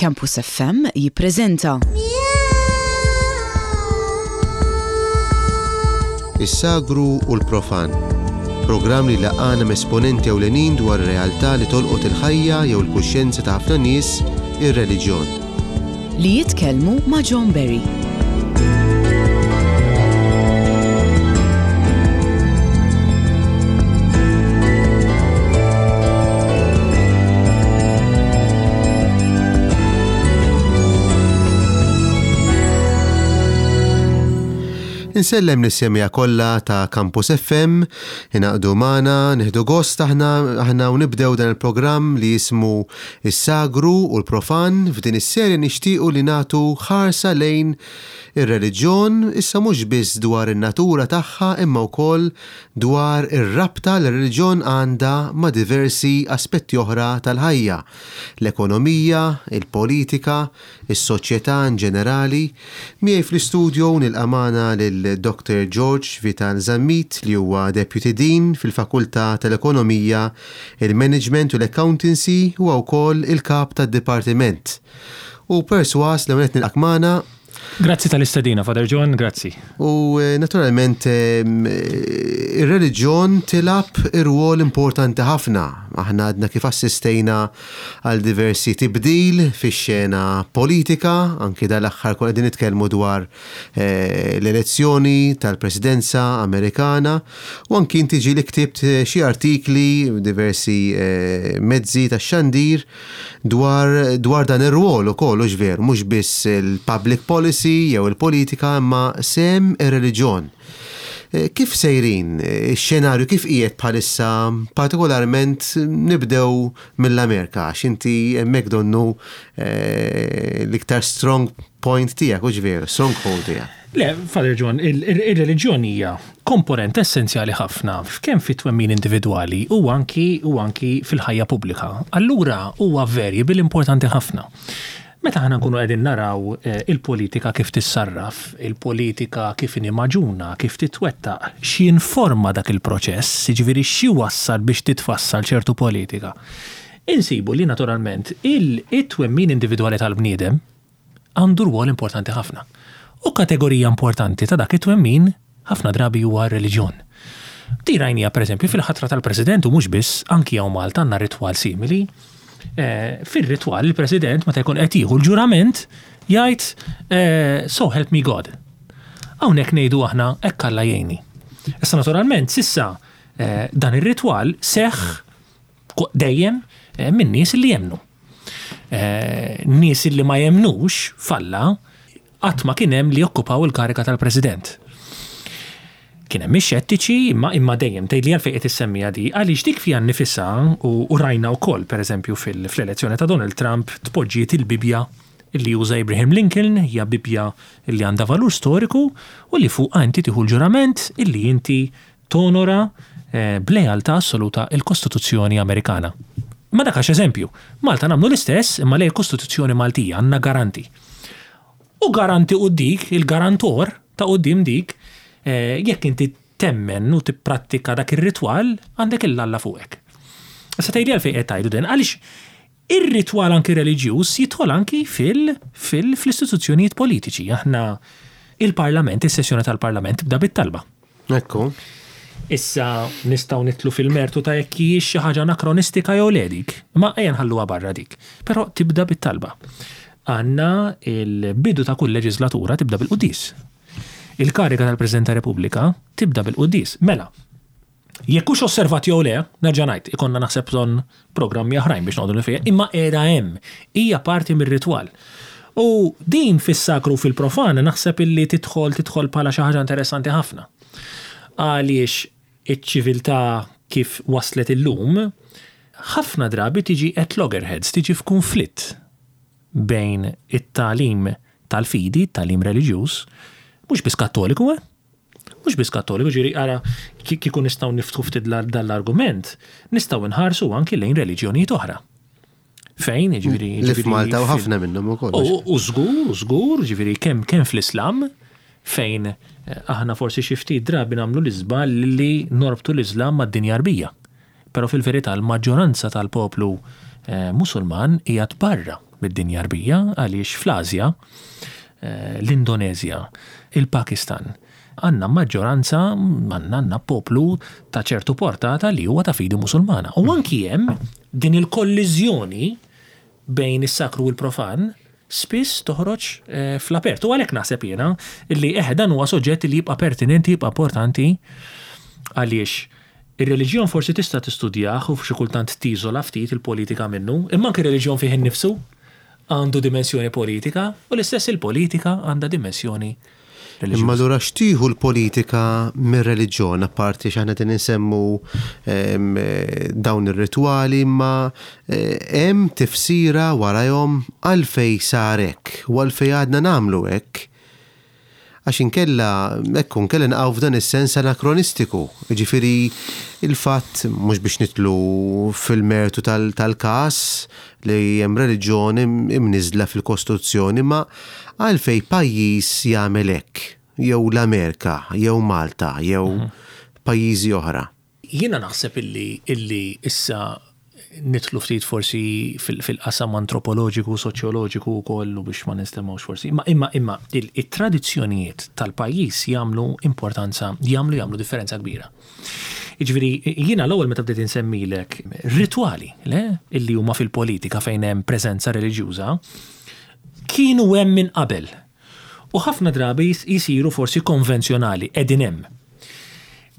Campus FM jippreżenta. Is-Sagru u l-Profan. Programm li jlaqqagħna m'esponenti ewlenin dwar realtà li tolqot il-ħajja jew il-kuxjenza ta' ħafna nies, ir-reliġjon. Li jitkellmu ma' John Berry. Insellem lis-semmiegħa kollha ta' Campus FM, ingħaqdu magħna, nieħdu gost aħna aħna u nibdew dan il-programm li jismu Is-Sagru u l-Profan. F'din is-serje nixtiequ li nagħtu ħarsa lejn ir-reliġjon, issa mhux biss dwar in-natura tagħha imma wkoll dwar ir-rabta li r-reliġjon għandha ma' diversi aspetti oħra tal-ħajja, l-ekonomija, il-politika, is-soċjetà in ġenerali. Miegħi fl-istudio nilqa' magħna lil Dr. George Vital Zammit li huwa Deputy Dean fil-Fakultà tal-Ekonomija, il-Management u l-Accountancy huwa wkoll il-Kap tad-Dipartiment. U persważ l-ewwel nett nilqak magħna. Grazzi tal-istedina, Father John, grazzi. U naturalment ir-reliġjon tilgħab irwol importanti ħafna. Aħna għadna kif assistejna għal diversi tibdil fix-xena politika, anki dal-aħħar konna qegħdin nitkellmu dwar l-elezzjoni tal-Presidenza Amerikana u anki inti ġieli ktibt xi artikli diversi mezzi tax-xandir dwar dwar dan ir-rwol ukoll, hux veru, mhux biss il-public policy jew il-politika imma sehem ir-reliġjon. Kif sejrin ix-xenarju kif qiegħed bħalissa partikolarment nibdew mill-Amerika għax inti hemmhekk donnu l-iktar strong point tiegħek, hux veru, stronghold tiegħek. Le, Father John, ir-reliġjon hija komponent essenzjali ħafna kemm fit-twemmin individwali u anki u anki fil-ħajja pubblika. Allura huwa variable importanti ħafna. Meta aħna nkunu qegħdin naraw il-politika kif tissarraf, il-politika kif inhi magħġuna, kif titwettaq, x'jinforma dak il-proċess, jiġifieri x'iwassal biex titfassal ċertu politika, insibu li naturalment it-twemmin individwali tal-bniedem, għandu rwol importanti ħafna. U kategorija importanti ta' dak it-twemmin ħafna drabi huwa r-reliġjon. Din rajniha pereżempju fil-ħatra tal-President u mhux biss, anki hawn Malta għandna ritwal simili. Fir-ritwal il-President meta jkun qed jieħu l-ġurament jgħid So help me God. Hawnhekk ngħidu aħna hekk Alla jgħinni. Issa naturalment s'issa dan ir-ritwal seħħ dejjem minn nies li jemmnu. Nies li ma jemmnux f'Alla qatt ma kien hemm li okkupaw il-kariga tal-President. Kien hemm ix-xettiċi imma imma dejjem tgħidli għalfejn qed issemmiha di għaliex dik fiha nnifisha u rajna wkoll pereżempju fl-elezzjoni ta' Donald Trump tpoġġiet il-Bibbja li uża Abraham Lincoln, hija Bibbja li għandha valur storiku u li fuqha inti tieħu l-ġurament illi inti tonora b'lealtà assoluta l-Kostituzzjoni Amerikana. Imma dak għax eżempju. Malta nagħmlu l-istess imma lejn il-Kostituzzjoni Maltija għandna garanti. U garanti u dik, il-garantor ta' quddiem dik, jekk inti temmen u tipprattika dak ir-ritwal, għandek il-Alla fuqek. Issa tgħidli għalfejn qed tgħidu din, għaliex ir-ritwal anki reliġjuż jidħol anki fil, fil, fl-istituzzjonijiet politiċi. Aħna il-Parlament, is-sessjoni tal-Parlament tibda bit-talba. Ekku. Issa nistgħu nidħlu fil-mertu ta' jekk hijiex xi ħaġa anakronistika jew le dik, imma ejja nħalluha barra dik. Però tibda bit-talba. Għandna l-bidu ta' kull leġislatura tibda bil-quddies. Il-kariga tal-President ta' Repubblika tibda bil-quddies. Mela, Jekk hux osservat jew le, nerġa' ngħid, ikollna naħseb bżonn programmi oħrajn biex noqogħdu fiha, imma qiegħda hemm, hija parti mir-ritwal. U din fis-sakru u fil-profan naħseb illi tidħol tidħol bħala xi ħaġa interessanti ħafna. Għaliex iċ-ċiviltà kif waslet illum, ħafna drabi tiġi at loggerheads, tiġi f'kunflitt bejn it-tagħlim tal-fidi, it-tagħlim reliġjuż, mhux biss Kattoliku, eh! Mhux biss Kattoliku, ġifieri ara kieku nistgħu niftħu ftit dan l-argument, nistgħu nħarsu anki lejn reliġjonijiet oħra. Fejn, ġifieri. Li f'Malta u ħafna minnhom ukoll. U żgur, u żgur, ġifieri kemm kemm fl-Islam, fejn eh, aħna forsi xi ftit drabi nagħmlu l-iżball li norbtu l-Islam mad-dinja Arbija. Però fil-verità l-maġġoranza tal-poplu eh, Musulman qiegħed barra. mid-dinja Għarbija għaliex fl-Asja, l-Indoneżja, il-Pakistan, għandna maġġoranza, għandna għandna poplu ta' ċertu portata li huwa ta' fidi Musulmana. U anki hemm din il-kolliżjoni bejn is-sakru u l-profan spiss toħroġ fl-apert. U għalhekk naħseb jiena li eħe dan huwa soġġett li jibqa' pertinenti, jibqa' importanti għaliex ir-reliġjon forsi tista' tistudjah u xi kultant tiżola ftit il-politika minnu, imma anke r-reliġjon fih innifsu għandu dimensjoni politika u l-istess il-politika għandha dimensjoni reliġjuża. Imma allura x'tieħu l-politika mir-reliġjon apparti x'aħna qegħdin insemmu dawn ir-ritwali imma hemm tifsira warajhom għalfejn sar hekk u għalfejn għadna nagħmlu hekk? Għax inkella, ekku, inkella naqgħu f'dan is-sens anakronistiku. Jiġifieri il-fatt, mhux biex nidħlu fil-mertu tal-każ li hemm reliġjon imniżżla fil-Kostituzzjoni, imma għalfejn pajjiż jagħmel hekk, jew l-Amerika, jew Malta, jew pajjiżi oħra. Jiena naħseb illi illi issa nidħlu ftit forsi fil-qasam antropoloġiku, soċjoloġiku wkoll u biex ma ninstemgħux forsi, imma imma imma it-tradizzjonijiet tal-pajjiż jagħmlu importanza, jagħmlu jagħmlu differenza kbira. Jiġifieri jiena l-ewwel meta bdejt insemmilek ritwali, le, illi huma fil-politika fejn hemm preżenza reliġjuża, kienu hemm minn qabel. U ħafna drabi jsiru forsi konvenzjonali, qegħdin hemm.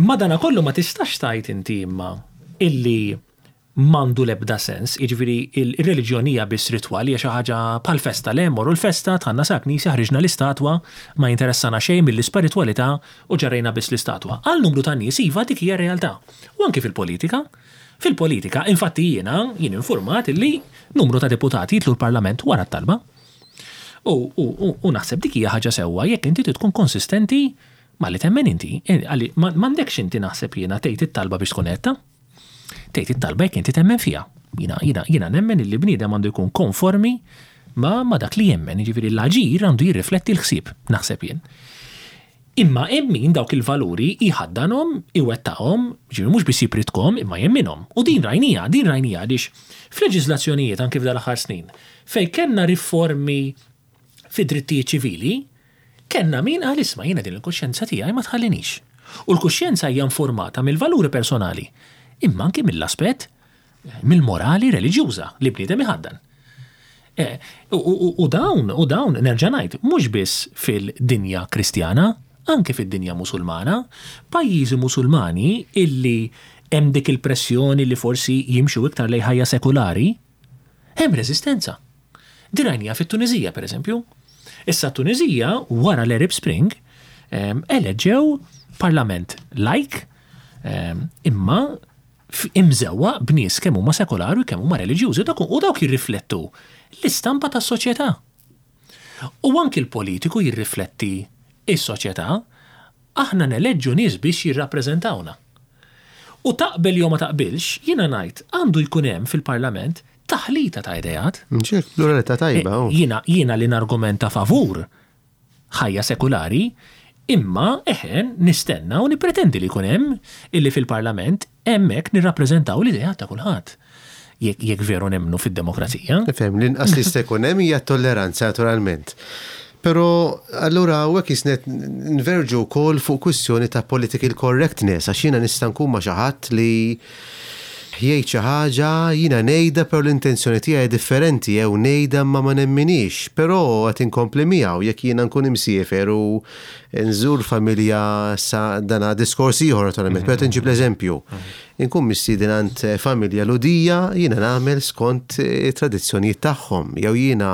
Madanakollu ma tistax tgħid inti imma illi m'għandu l-ebda sens, jiġifieri r-reliġjon hija biss ritwal, hija xi ħaġa bħal festa, le mmorru l-festa, dħalna sal-knisja, ħriġna l-istatwa, ma jinteressana xejn mill-ispiritwalità u ġarrejna biss l-istatwa. Għal numru ta' nies iva dik hija r-realtà. U anki fil-politika. Fil-politika, infatti jiena, jien infurmat illi numru ta' deputati jidħlu l-Parlament wara t-talba. U, u, u, u naħseb dik hija ħaġa sewwa jekk inti trid tkun konsistenti ma' li temmen inti. Għalli m'għandekx inti naħseb jiena tgħid it-talba biex tkun għedtha. Tgħid it-talba jekk inti temmen fiha. Jiena, jiena, jiena nemmen illi bniedem għandu jkun konformi ma' ma' dak li jemmen, jiġifieri l-aġir għandu jirrifletti l-ħsieb, naħseb jien. Imma hemm min dawk il-valuri jħaddanhom, iwettaqhom, jiġifieri mhux biss jipritkhom imma jemminhom. U din rajniha, din rajniha għaliex f'leġiżlazzjonijiet anki f'dal-aħħar snin, fejn kellna riformi fid-drittijiet ċivili, kellna min qal isma' jiena din il-kuxjenza tiegħi ma tħallinix. U l-kuxjenza hija nfurmata mill-valuri personali, imma anki mill-aspett mill-morali reliġjuża li bniedem iħaddan. U dawn, u dawn, nerġa' ngħid, mhux biss fil-dinja Kristjana, anke fid-dinja Musulmana, pajjiżi Musulmani illi hemm dik il-pressjoni li forsi jimxu iktar lejn ħajja sekulari, hemm reżistenza. Din rajniha fit-Tuniżija, pereżempju. Issa t-Tuniżija, wara l-Arab Spring, eleġġew parlament lajk, imma imżewwaq b'nies kemm huma sekolari u kemm huma reliġjużi u dawk jirriflettu l-istampa tas-soċjetà. U anki l-politiku jirrifletti s-soċjetà, aħna neleġġu nies biex jirrappreżentawna. U taqbel jew ma taqbilx, jiena ngħid għandu jkun hemm fil-Parlament taħlita ta' ideat. Ċert, pluralità tajba. Jiena jiena li nargumenta favur ħajja sekulari, imma, eħe, nistenna u nippretendi li jkun hemm illi fil-Parlament hemmhekk nirrappreżentaw l-ideat ta' kulħadd. Jekk jekk veru nemmnu fid-demokrazija. Nifhem, l-inqas li jista' jkun hemm hija t-tolleranza naturalment. Però allura hawnhekk jisna qed nverġu wkoll fuq kwistjoni ta' political correctness għax jiena nista' nkun ma' xi ħadd li jgħid xi ħaġa, jiena ngħidha però l-intenzjoni tiegħi differenti jew ngħidha imma ma nemminhiex, però qed inkompli miegħu jekk jiena nkun imsiefer u nżur familja sa dana diskors ieħor naturalment, però qed inġib l-eżempju. Inkun mistieden għand familja Lhudija, jiena nagħmel skont it-tradizzjonijiet tagħhom jew jiena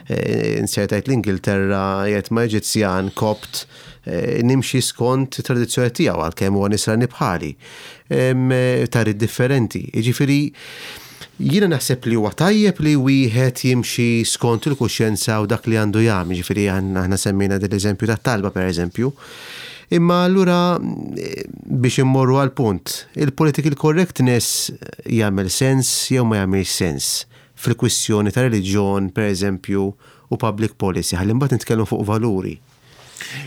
nsertajt l-Ingilterra qiegħed ma' Eġizzjan Kopt nimxi skont it-tradizzjoni tiegħu għalkemm huwa Nisrani bħali. Tagħrif differenti. Jiġifieri jiena naħseb li huwa tajjeb li wieħed jimxi skont il-kuxjenza u dak li għandu jagħmel, jiġifieri aħna semmejna din l-eżempju tat-talba pereżempju. Imma allura biex immorru għall-punt, il-political correctness jagħmel sens jew ma jagħmilx sens fil-kwistjoni ta' reliġjon pereżempju u public policy, ħalli mbagħad nitkellmu fuq valuri.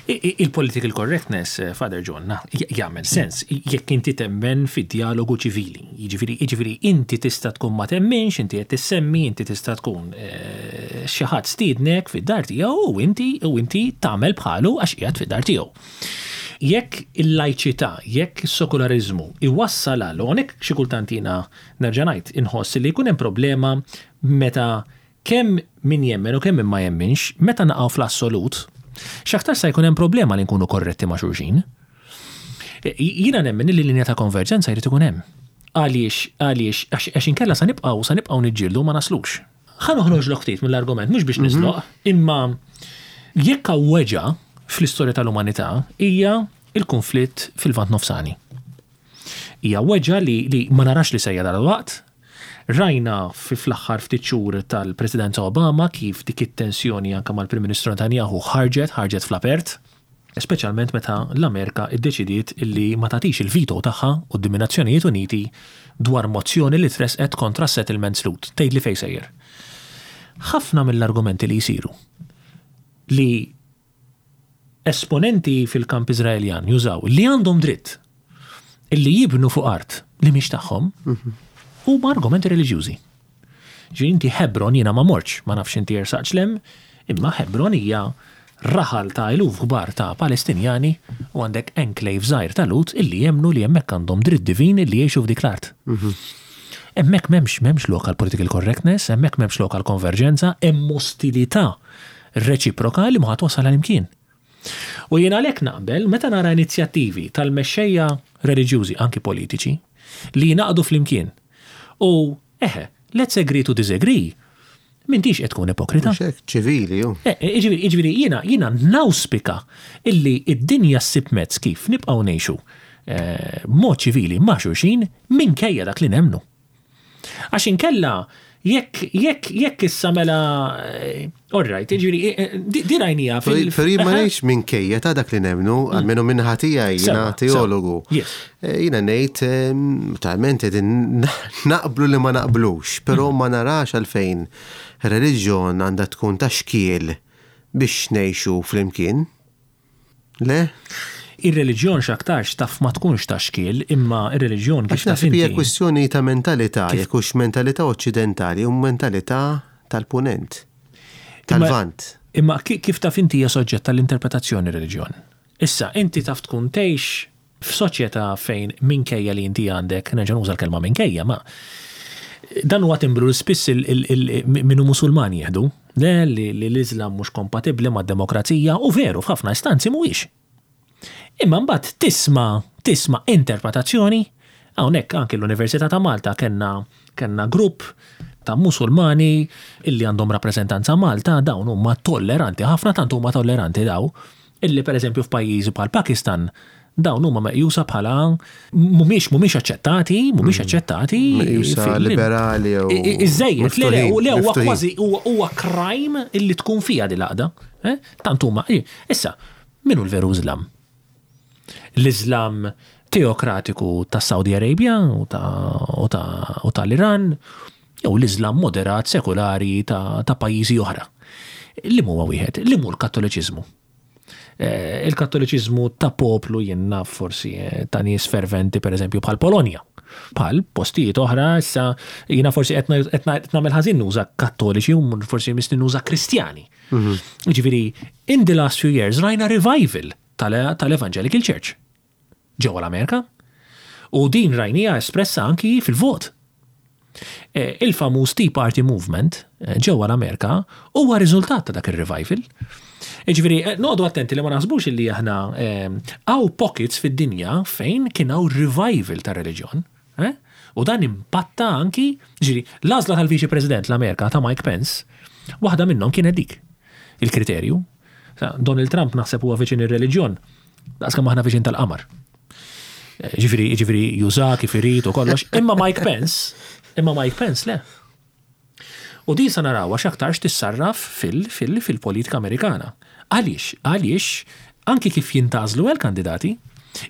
Il-political correctness, eh, Father John, jagħmel sens jekk inti temmen fid-dialogu ċivili. Jiġifieri, jiġifieri inti tista' tkun ma temminx, inti qed tissemmi, inti tista' tkun eh, xi ħadd stiednek fid-dar tiegħu u inti u inti tagħmel bħalu għax qiegħed fid-dar tiegħu. Jekk il-lajċità, jekk is-sekulariżmu iwassal għal, u hawnhekk xi kultant jiena nerġa' ngħid inħoss li jkun hemm problema meta Kemm min jemmen u kemm min ma jemminx, meta naqgħu fl-assolut, x'aktarx sa jkun hemm problema li nkunu korretti ma' xulxin. Jiena nemmen li linja ta' konverġenza jrid ikun hemm. Għaliex, għaliex, għax inkella sa nibqgħu, sa nibqgħu niġġieldu u ma naslux. Ħa noħroġlok ftit mill-argument, mhux biex niżloq, imma jekk hawn weġgħa fl-istorja tal-umanità hija l-kunflitt fil-Lvant Nofsani. Hija weġgħa li li ma narax li sejja dalwaqt. Rajna fi fl-aħħar ftit xhur tal-Presidenza Obama kif dik it-tensjoni anke mal-Prim Ministru Netanyahu ħarġet, ħarġet fl-apert, speċjalment meta l-Amerika ddeċidiet li ma tagħtix il-veto tagħha quddiem in-Nazzjonijiet Uniti dwar mozzjoni li tressqet kontra s-settlements Lhud. Tgħidli fejn sejjer. Ħafna mill-argumenti li jsiru li esponenti fil-kamp Iżraeljan jużaw li għandhom dritt illi jibnu fuq art li mhix tagħhom huma argumenti reliġjużi. Ġifieri inti Hebron jiena ma mortx, ma nafx inti ersaqtx 'l hemm, imma Hebron hija raħal ta' eluf kbar ta' Palestinjani u għandek enclave żgħir ta' Lhud illi jemmnu li hemmhekk għandhom dritt divin illi jgħixu f'dik l-art. Hemmhekk m'hemmx m'hemmx lok għal political correctness, hemmhekk m'hemmx lok għal konverġenza, hemm ostilità reċiproka li ma twassal għal imkien. U jien għalhekk naqbel meta nara inizjattivi tal-mexxejja reliġjużi, anki politiċi, li jingħaqdu flimkien u, eħe, let's agree to disagree, m'intix qed tkun ipokrita. Mhux hekk, ċivili hu. Eh, jiġifieri, jiġifieri jiena jiena nawspika illi d-dinja ssib mezz kif nibqgħu ngħixu eh, b'mod ċivili ma' xulxin minkejja dak li nemmnu. Għax inkella jekk jekk jekk issa mela eh, all right, jiġifieri eh, eh, di rajnija fil. Però jien ma ngħidx minkejja ta' dak li nemmnu, mm. almenu minn tiegħi jiena teologu. Jiena ngħid ehm, talment qegħdin naqblu li ma naqblux, però mm. ma narax għalfejn reliġjon għandha tkun ta' xkiel biex ngħixu flimkien. Le? Ir-reliġjon x'aktarx taf ma tkunx ta' xkiel, imma r-reliġjon kif taf inti. Għax naħseb hija kwistjoni ta' mentalità, jekk hux mentalità oċċidentali u mentalità tal-Punent, tal-Lvant. Imma kif taf inti hija soġġett għall-interpretazzjoni r-reliġjon. Issa, inti taf tkun tgħix F'soċjetà fejn minkejja li inti għandek, nerġa' nuża l-kelma minkejja, ma dan huwa timbru li spiss min hu Musulman jieħdu, le li l-Iżlam mhux kompatibbli mad-demokrazija u veru f'ħafna istanzi mhuwiex. Imma mbagħad tisma' tisma' interpretazzjoni, hawnhekk anki l-Università ta' Malta kellna kellna grupp ta' Musulmani illi għandhom rappreżentanza Malta, dawn huma tolleranti ħafna, tant huma tolleranti daw, Illi pereżempju f'pajjiżi bħal Pakistan dawn huma meqjusa bħala mhumiex mhumiex aċċettati, mhumiex mm. aċċettati. Meqjusa liberali jew. Iżejjed, le le le huwa kważi huwa crime illi tkun fiha din l-għaqda. Eh? Tant huma. Issa, min hu l-veru Iżlam? L-Iżlam teokratiku ta' Saudi Arabia u tal-Iran, jew l-Iżlam moderat sekulari ta' pajjiżi oħra. Li huwa wieħed, li mhu l-Kattoliċiżmu. Eh, il-Kattoliċiżmu ta' poplu jien naf forsi eh, ta' nies ferventi pereżempju bħal Polonja. Bħal postijiet oħra issa jiena forsi qed nagħmel ħażin nuża Kattoliċi u forsi misni nuża Kristjani. Mhm. Ġifieri, in the last few years rajna revival tal-Evangelical Church. ġewwa l-Amerika, u din rajniha espressa anki fil-vot. E, il-famuż Tea Party Movement e, ġewwa l-Amerika huwa riżultat ta' dak ir-revival. Jiġifieri, e, noqogħdu attenti li ma naħsbux li aħna hawn pockets fid-dinja fejn kien hawn revival ta' reliġjon. U dan impatta anki, ġifieri, l-għażla tal-Viċi President l-Amerika ta' Mike Pence, waħda minnhom kienet dik il-kriterju. Donald Trump naħseb huwa viċin ir-reliġjon Daqs kemm aħna viċin tal-qamar. Eh, ġifieri, ġifieri juża kif irid u kollox. Imma Mike Pence, imma Mike Pence le. U din sa narawha x'aktarx tissarraf fil-politika Amerikana. Għaliex? Għaliex anki kif jintgħażlu l-kandidati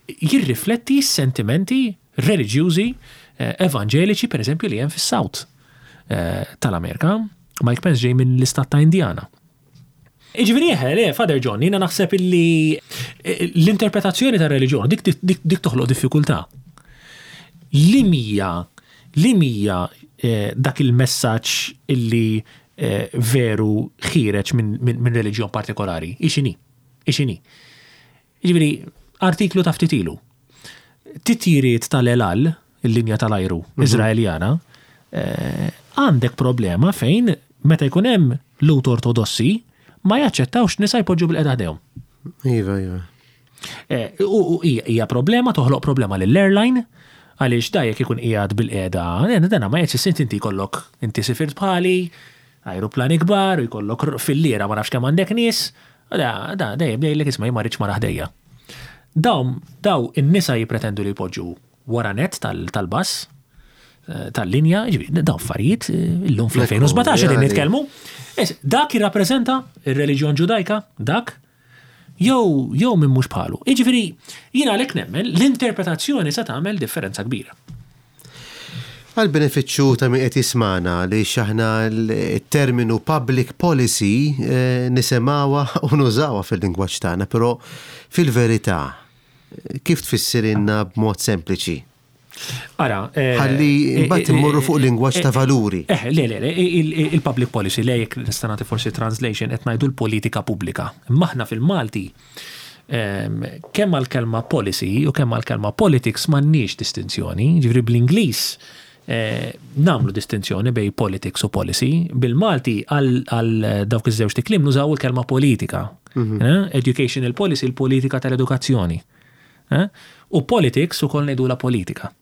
jirrifletti s-sentimenti reliġjużi eh, evanġeliċi pereżempju li hemm fis-South eh, tal-Amerika. Mike Pence ġej minn l-istat ta' Indiana. Jiġifieri eħe, le, Father John, jiena naħseb illi l-interpretazzjoni tar-reliġjon dik dik toħloq diffikultà. Li mija li mija dak il-messaġġ illi veru ħiereġ minn reliġjon partikolari, hi x'inhi? Hi x'inhi? Jiġifieri, artiklu ta' ftit ilu. Titjiriet tal-El Al, il-linja tal-ajru Iżraeljana, għandek problema fejn meta jkun hemm Lhud Ortodossi ma jaċċettawx nisa jpoġġu bil-qeda ħdejhom. Iva, iva. U hija problema, toħloq problema lill-airline, għaliex da jekk ikun qiegħed bil-qeda, dana ma jgħidx inti jkollok inti sifirt bħali, ajruplani kbar, u jkollok filliera ma nafx kemm għandek nies, Da, da, dejjem jgħidlek isma' jien ma rridx mara ħdejja. Dawn, daw in-nisa jippretendu li jpoġġu wara nett tal-bass, tal-linja, jiġifieri dawn affarijiet illum fl-2017 qegħdin nitkellmu. Dak jirrappreżenta r-reliġjon Ġudajka, dak, jew jew min mhux bħalu. Jiġifieri jien għalhekk nemmen l-interpretazzjoni se tagħmel differenza kbira. Għall-benefiċċju ta' min qed jismagħna, għaliex aħna t-terminu public policy nisimgħuha u nużawha fil-lingwaġġ tagħna, però fil-verità kif tfissirilna b'mod sempliċi? Ara, Ħalli mbagħad immorru fuq lingwaġġ ta' valuri. Eh, le, le, le, il-public policy, le jekk nista' nagħti forsi translation qed ngħidu l-politika pubblika. Imma aħna fil-Malti Kemm għall-kelma policy u kemm għall-kelma politics m'għandniex distinzjoni, jiġifieri bl-Ingliż nagħmlu distinzjoni bejn politics u policy, bil-Malti għal dawk iż-żewġt ikliem nużaw il-kelma politika. Educational policy, il-politika tal-edukazzjoni. U politics ukoll ngħidulha politika.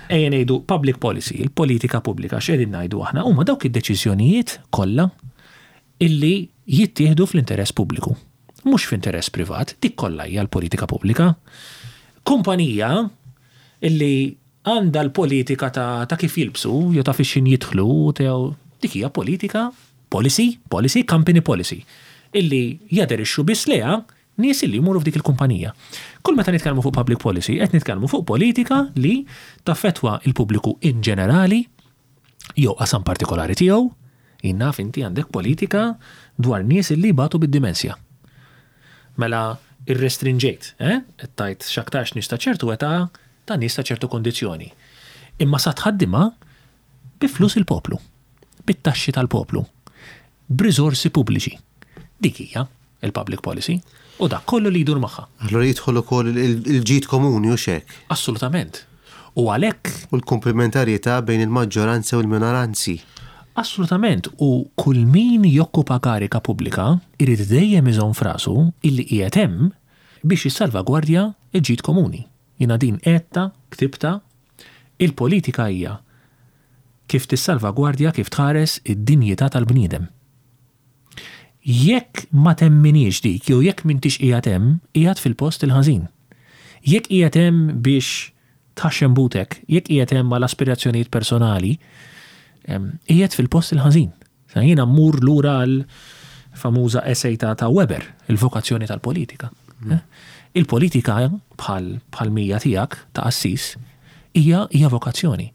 Ejja ngħidu public policy, il-politika pubblika, x'qegħdin ngħidu aħna? Huma dawk id-deċiżjonijiet kollha illi jittieħdu fl-interess pubbliku. Mhux f'interess privat, dik kollha hija l-politika pubblika. Kumpanija illi għandha l-politika ta' ta' kif jilbsu jew ta' fix-x'in jidħlu dik hija politika, policy, policy, company policy, illi jaderixxu biss lejha nies illi jmorru f'dik il-kumpanija. Kull meta nitkellmu fuq public policy qed nitkellmu fuq politika li taffettwa l-pubbliku in ġenerali jew qasam partikolari tiegħu, jien naf inti għandek politika dwar nies illi jbatu bid-dimensja. Mela irrestrinġejt, eh? Qed tgħid x'aktarx nies ta' ċertu età ta' nies ta' ċertu kundizzjoni. Imma sa tħaddimha bi flus il-poplu, bit-taxxi tal-poplu, b'riżorsi pubbliċi. Dik hija il-public policy u dak kollu li jdur magħha. Allura jidħol ukoll il-ġid komuni hux hekk? Assolutament. U għalhekk. U l-kumplimentarjetà bejn il-maġġoranza u l-minoranzi. Assolutament. U kull min jokkupa karika pubblika jrid dejjem iżomm f'rasu illi qiegħed hemm biex jissalvagwardja l-ġid komuni. Jiena din għedtha, ktibtha, il-politika hija kif tissalvagwardja, kif tħares id-dinjità tal-bniedem. Jekk ma temminhiex dik jew jekk m'intix qiegħed hemm, qiegħed fil-post il-ħażin. Jekk qiegħed hemm biex tħaxxen butek, jekk qiegħed hemm għal aspirazzjonijiet personali, qiegħed fil-post il-ħażin. Sa jiena mmur lura għal famuża essay ta' ta' Weber, il-vokazzjoni tal-politika. Eh? Il-politika bħal bħal mija tiegħek ta' qassis hija hija vokazzjoni.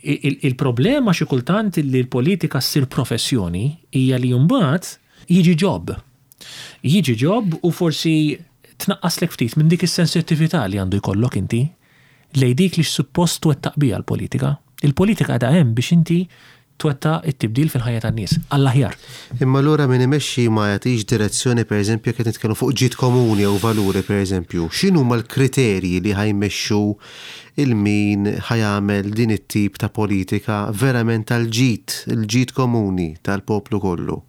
Il-problema xi kultant li l-politika ssir professjoni hija li mbagħad jiġi job. Jiġi job u forsi tnaqqaslek ftit minn dik is-sensittività li għandu jkollok inti lejn dik li suppost twettaq biha l-politika. Il-politika qiegħda hemm biex inti twettaq it-tibdil fil-ħajja tan-nies għall-aħjar. Imma allura min imexxi ma jagħtix direzzjoni pereżempju jekk qed nitkellmu fuq ġid komuni jew valuri pereżempju, x'inhuma l-kriterji li ħa jmexxu 'il min ħa jagħmel din it-tip ta' politika verament għall-ġid, il-ġid komuni tal-poplu kollu.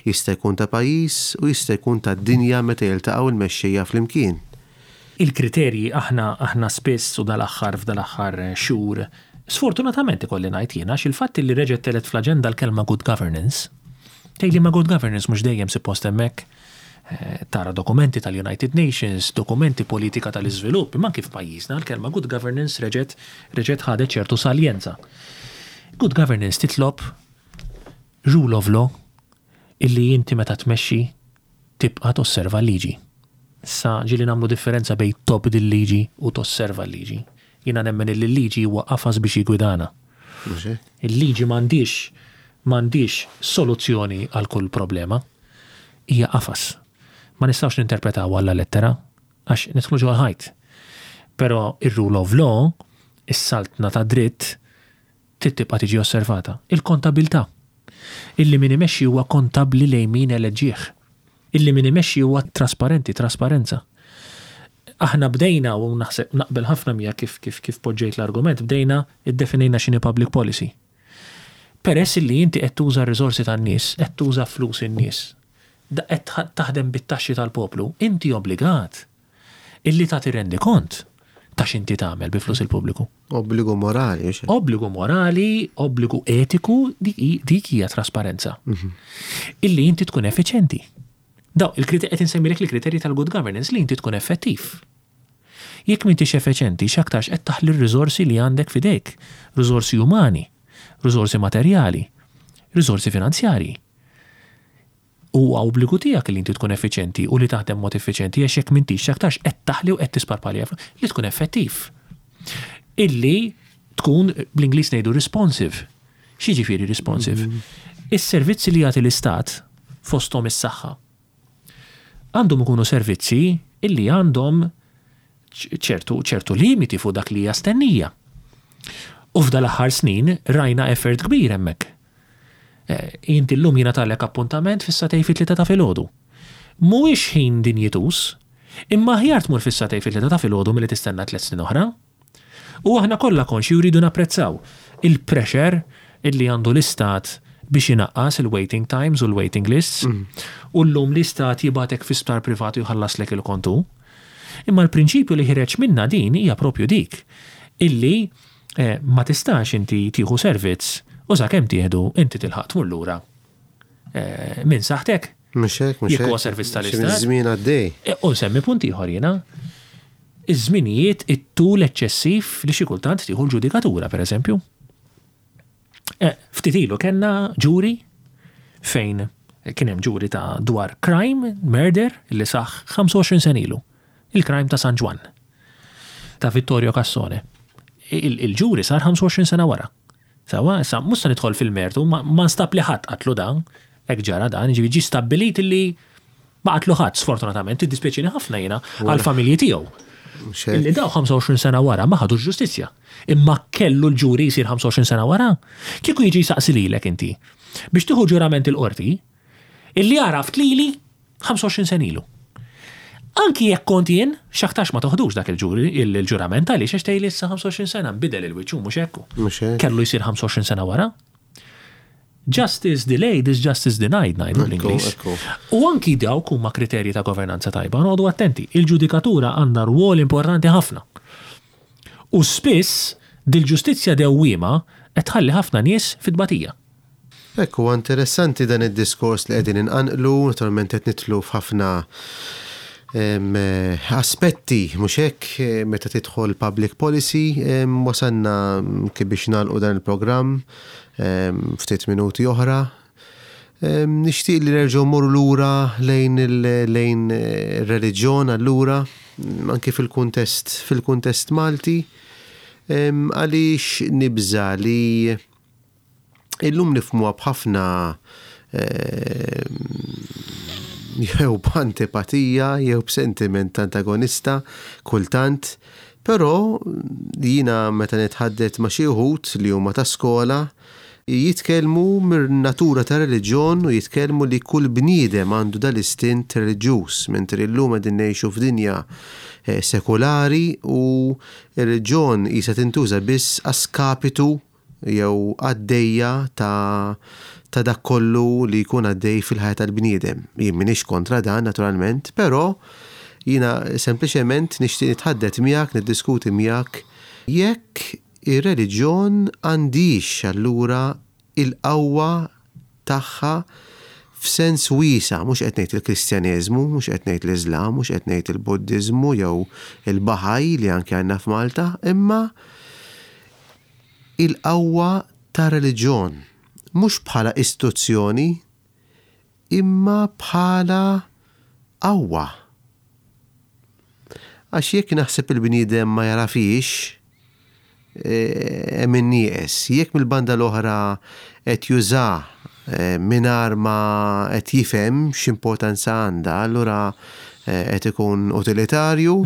Jista' jkun ta' pajjiż u jista' jkun tad-dinja meta jiltaqgħu l-mexxejja flimkien. Il-kriterji aħna aħna spiss u dal-aħħar f'dal-aħħar xhur, sfortunatament ikolli ngħid jien għax il-fatt li reġgħet telgħet fl-aġenda l-kelma good governance, tgħidli ma good governance mhux dejjem suppost hemmhekk? Tara dokumenti tal-United Nations, dokumenti politika tal-iżvilupp, imma anki f'pajjiżna l-kelma good governance reġgħet reġgħet ħadet ċertu saljenza. Good governance titlob rule of law illi inti meta tmexxi tibqa' tosserva l-liġi. Issa ġieli nagħmlu differenza bejn tobdi l-liġi u tosserva l-liġi. Jiena nemmen illi l-liġi huwa qafas biex jiggwidana. Il-liġi m'għandhiex m'għandhiex soluzzjoni għal kull problema. hija qafas. Ma nistgħux ninterpretawha alla lettera għax nidħlu ġol ħajt. Però ir-rule of law, is-saltna tad-dritt, trid tibqa' tiġi osservata. Il-kontabilità. Illi min imexxi huwa kontabbli lejn min eleġġieh. Illi min imexxi huwa trasparenti, trasparenza. Aħna bdejna, u naħseb naqbel ħafna miegħek kif kif kif poġġejt l-argument, bdejna iddefinejna x'inhi public policy. Peress illi inti qed tuża r-riżorsi tan-nies, qed tuża flus in-nies, qed taħdem bit-taxxi tal-poplu, inti obbligat illi tagħti rendikont ta' x'inti tagħmel bi flus il-pubbliku. Obbligu morali, mhux hekk? Obbligu morali, obbligu etiku, dik hija trasparenza. Mhm. Illi inti tkun effiċenti. Daw, il-kriterji qed insemmilek il-kriterji tal-good governance li inti tkun effettiv. Jekk m'intix effiċenti, x'aktarx qed taħli r-riżorsi li għandek f'idejk, riżorsi umani, riżorsi materjali, riżorsi finanzjarji. Huwa obbligu tiegħek li inti tkun effiċjenti u li taħdem b'mod effiċjenti għax jekk m'intix x'aktarx qed taħli u qed tisparpalja li tkun effettiv. Illi tkun bl-Ingliż ngħidu responsive. X'jiġifieri responsive? Is-servizzi li jagħti l-Istat fosthom is-saħħa għandhom ikunu servizzi illi għandhom ċertu ċertu limiti fuq dak li hija stennija. U f'dal-aħħar snin rajna effort kbir hemmhekk. Inti llum jingħatalek appuntament fis-sagħtejn fit-tlieta ta' filgħodu. Mhuwiex ħin dinjituż, imma aħjar tmur fis-sagħtejn fit-tlieta ta' filgħodu milli tistenna tliet snin oħra. U aħna kollha konxji u rridu napprezzaw il-pressure illi għandu l-Istat biex inaqqas il-waiting times u l-waiting lists. U llum l-Istat jibgħatek fi sptar privat u jħallaslek il-kont hu. Imma l-prinċipju li ħireġ minnha din hija propju dik, illi Ma tistax inti tieħu servizz u sakemm tieħdu inti tilħaq tmur lura minn saħħtek. Mhux hekk, mhux hekk. Jekk huwa servizz tal-istat. Żmien għaddej. U nsemmi punt ieħor jiena. Iż-żminijiet it-tul eċċessiv li xi kultant tieħu l-ġudikatura, pereżempju. Ftit ilu kellna ġuri fejn kien hemm ġuri ta' dwar crime, murder, li saħ 25 sena ilu. Il-crime ta' San Ġwann. Ta' Vittorio Cassone. Il-ġuri sar 25 sena wara. Sewwa, issa mhux se nidħol fil-mertu, ma nstab li ħadd qatlu dan, hekk ġara dan, jiġifieri ġie stabbilit li ma qatlu ħadd sfortunatament, iddispjaċini ħafna jiena għall-familji tiegħu. Illi daw 25 sena wara ma ħadux ġustizzja. Imma kellu l-ġuri jsir 25 sena wara? Kieku jiġi jsaqsi lilek inti biex tieħu ġurament il-qorti, illi għaraft lili 25 sena ilu. Anki jekk kont jien, x'aktarx ma toħdux dak il-ġuri, il-ġurament għaliex għax tgħidli issa 25 sena nbidel il-wiċċ hu mhux hekk hu. Mhux hekk. Kellu jsir 25 sena wara. Justice delayed is justice denied ngħidu bl-Ingliż. U anki dawk huma kriterji ta' governanza tajba, noqogħdu attenti. Il-ġudikatura għandha rwol importanti ħafna. U spiss dil-ġustizzja dewwiema qed tħalli ħafna nies fit-tbatija. Hekk huwa interessanti dan id-diskors li qegħdin inqanqlu, naturalment qed nidħlu f'ħafna aspetti, mhux hekk, meta tidħol public policy, wasalna kif biex nagħlqu dan il-programm ftit minuti oħra. Nixtieq li nerġgħu mmorru lura lejn lejn ir-reliġjon allura, anki fil-kuntest fil-kuntest Malti, għaliex nibża' li Illum nifhmuha b'ħafna jew b'antipatija jew b'sentiment antagonista kultant, però jiena meta nitħaddet ma' xi wħud li huma ta' skola, jitkellmu mir-natura tar-reliġjon u jitkellmu li kull bniedem għandu dal-istint reliġjuż, mentri llum qegħdin ngħixu f'dinja sekulari u r-reliġjon qisha tintuża biss a skapitu jew għaddejja ta' ta' dak kollu li jkun għaddej fil-ħajja tal-bniedem. Jien m'iniex kontra dan naturalment, però jiena sempliċement nixtieq nitħaddet miegħek, niddiskuti miegħek jekk ir-reliġjon għandhiex allura il-qawwa tagħha f'sens wiesa', mhux qed ngħid il-Kristjaneżmu, mhux qed ngħid l-Iżlam, mhux qed ngħid il-Buddiżmu jew il-Baħa'i li anke għandna f'Malta, imma il-qawwa ta' reliġjon, mhux bħala istituzzjoni, imma bħala qawwa. Għax jekk naħseb il-bniedem ma jagħrafhiex, hemm in-nieqes. Jekk mill-banda l-oħra qed juża mingħajr ma qed jifhem x'importanza għandha, allura qed ikun utilitarju.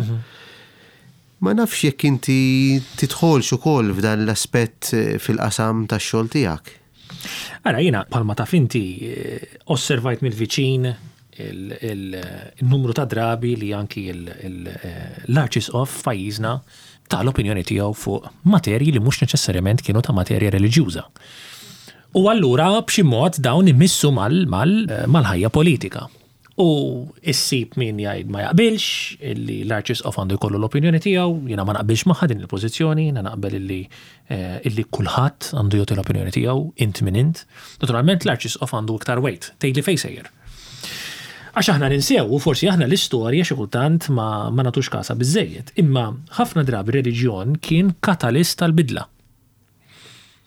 Ma nafx jekk inti tidħolx ukoll f'dan l-aspett fil-qasam tax-xogħol tiegħek. Ara, jiena bħalma taf inti osservajt mill-viċin il-numru ta' drabi li anki l-Arċisqof f'pajjiżna ta l-opinjoni tiegħu fuq materji li mhux neċessarjament kienu ta' materja reliġjuża. U allura b'xi mod dawn imissu mal-ħajja politika. U issib min jgħid ma jaqbilx illi l-Arċisqof għandu jkollu l-opinjoni tiegħu, jiena ma naqbilx magħha din il-pożizzjoni, jiena naqbel illi illi kulħadd għandu jagħti l-opinjoni tiegħu, int min int. Naturalment l-Arċisqof għandu iktar weight, tgħidli fejn sejjer. Għax aħna ninsew, u forsi aħna l-istorja xi kultant ma, ma nagħtux kasha biżżejjed, imma ħafna drabi reliġjon kien katalist tal-bidla.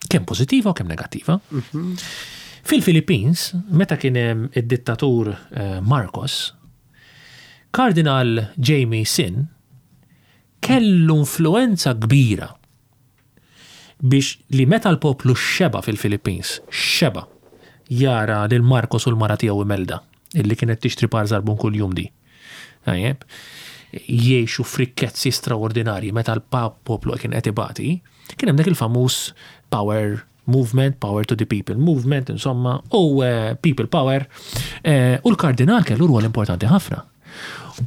Kemm pożittiva u kemm negattiva. Fil-Philippines, meta kien hemm id-dittatur eh, Marcos, Kardinal Jamie Sin kellu influenza kbira biex li meta l-poplu xeba fil-Philippines, xeba jara lil Marcos u l-mara tiegħu Imelda, illi kienet tixtri par żarbun kuljum di. Tajjeb, jgħixu f'rikkezzi straordinarji meta l-poplu kien qed ibati, kien hemm dak il-famuż power movement, power to the people movement, insomma, u eh, people power, eh, u l-kardinal kellu rwol importanti ħafna.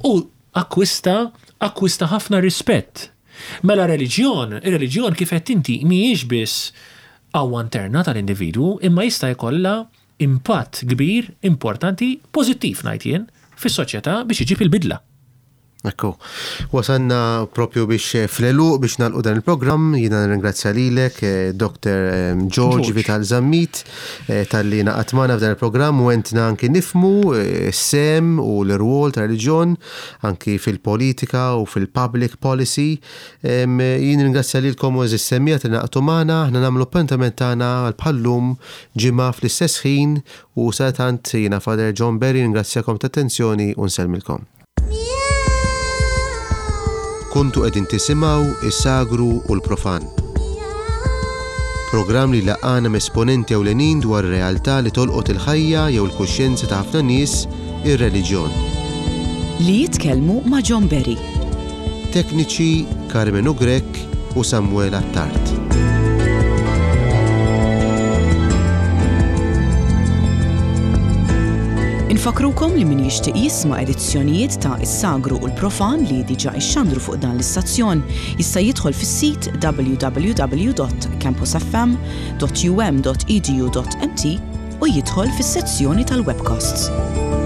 U akkwista, akkwista ħafna rispett. Mela reliġjon, ir-reliġjon kif qed inti mhijiex biss qawwa interna tal-individwu, imma jista' jkollha impatt kbir, importanti, pożittiv ngħid jien, fis-soċjetà biex iġib il-bidla. Ekku. Wasalna propju biex eh, fl-eluq biex nagħlqu dan il-programm, jiena nirringrazzja lilek, eh, Dr. Eh, George Vital Zammit, talli naqat magħna f'dan il-programm u għentna anki nifmu s-sem u l-irwol ta' reliġjon anki fil-politika u fil-public policy. Jien ringrazzja lilkom u eżis semmija li naqtu magħna, aħna nagħmlu appuntament tagħna għal bħallum ġimgħa fl-istess ħin u satant jiena Father John Berry ringrazzjakom ta' attenzjoni u nsellmilkom. Kontu qegħdin tisimgħu is-Sagru u l-Profan. Programm li laqana m'esponenti ewlenin dwar realtà li tolqot il-ħajja jew il-kuxjenza ta' ħafna nies, ir-reliġjon. Li jitkellmu ma' John Berry. Tekniċi Carmenu Grech u Samuel Attard. Infakkrukom li min jixtieq jisma' edizzjonijiet ta' Is-Sagru u l-Profan li diġà ixxandru fuq dan l-istazzjon jista' jidħol fis-sit www.campusfm.um.edu.mt u jidħol fis-sezzjoni tal-webcasts.